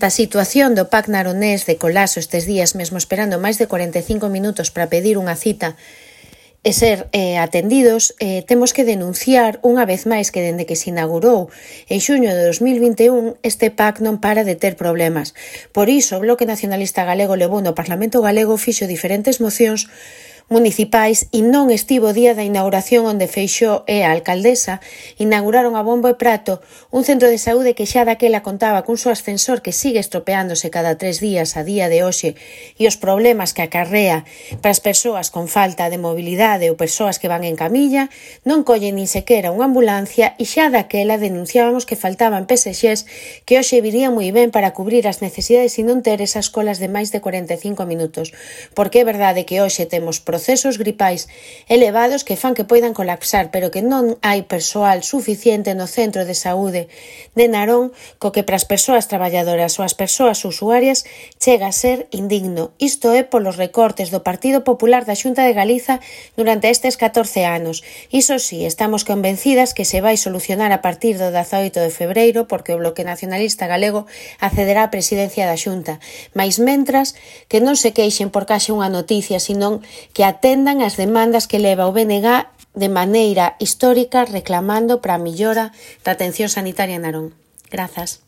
Da situación do PAC naronés de colapso estes días, mesmo esperando máis de 45 minutos para pedir unha cita e ser atendidos, temos que denunciar unha vez máis que dende que se inaugurou en xuño de 2021 este PAC non para de ter problemas. Por iso, o Bloque Nacionalista Galego levou no Parlamento Galego fixo diferentes mocións municipais e non estivo o día da inauguración onde Feixóo e a alcaldesa inauguraron a bombo e prato un centro de saúde que xa daquela contaba cun seu ascensor que sigue estropeándose cada 3 días a día de hoxe e os problemas que acarrea para as persoas con falta de mobilidade ou persoas que van en camilla non collen nin sequera unha ambulancia e xa daquela denunciábamos que faltaban PSXs que hoxe virían moi ben para cubrir as necesidades e non ter esas colas de máis de 45 minutos porque é verdade que hoxe temos procesos gripais elevados que fan que poidan colapsar, pero que non hai persoal suficiente no centro de saúde de Narón, co que para as persoas traballadoras ou as persoas usuarias chega a ser indigno. Isto é polos recortes do Partido Popular da Xunta de Galiza durante estes 14 anos. Iso sí, estamos convencidas que se vai solucionar a partir do 18 de febreiro, porque o Bloque Nacionalista Galego accederá á presidencia da Xunta. Mais mentras, que non se queixen por case unha noticia, senón que atendan as demandas que leva o BNG de maneira histórica reclamando para a millora da atención sanitaria en Narón. Grazas.